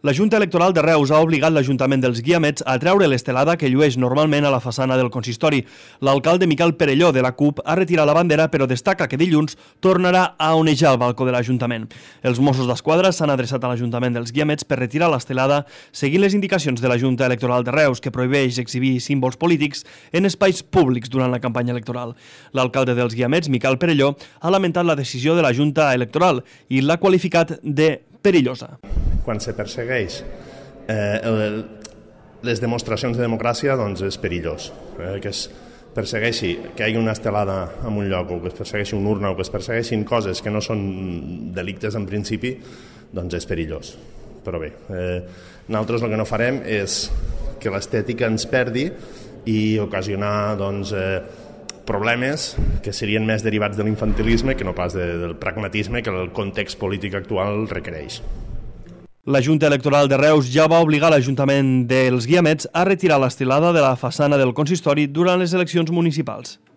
La Junta Electoral de Reus ha obligat l'Ajuntament dels Guiamets a treure l'estelada que llueix normalment a la façana del consistori. L'alcalde Miquel Perelló, de la CUP, ha retirat la bandera, però destaca que dilluns tornarà a onejar el balcó de l'Ajuntament. Els Mossos d'Esquadra s'han adreçat a l'Ajuntament dels Guiamets per retirar l'estelada, seguint les indicacions de la Junta Electoral de Reus, que prohibeix exhibir símbols polítics en espais públics durant la campanya electoral. L'alcalde dels Guiamets, Miquel Perelló, ha lamentat la decisió de la Junta Electoral i l'ha qualificat de perillosa. Quan se persegueix les demostracions de democràcia, doncs és perillós. Que es persegueixi que hi hagi una estelada en un lloc, o que es persegueixi una urna, o que es persegueixin coses que no són delictes en principi, doncs és perillós. Però bé, nosaltres el que no farem és que l'estètica ens perdi i ocasionar problemes que serien més derivats de l'infantilisme que no pas del pragmatisme que el context polític actual requereix. La Junta Electoral de Reus ja va obligar l'Ajuntament dels Guiamets a retirar l'estelada de la façana del consistori durant les eleccions municipals.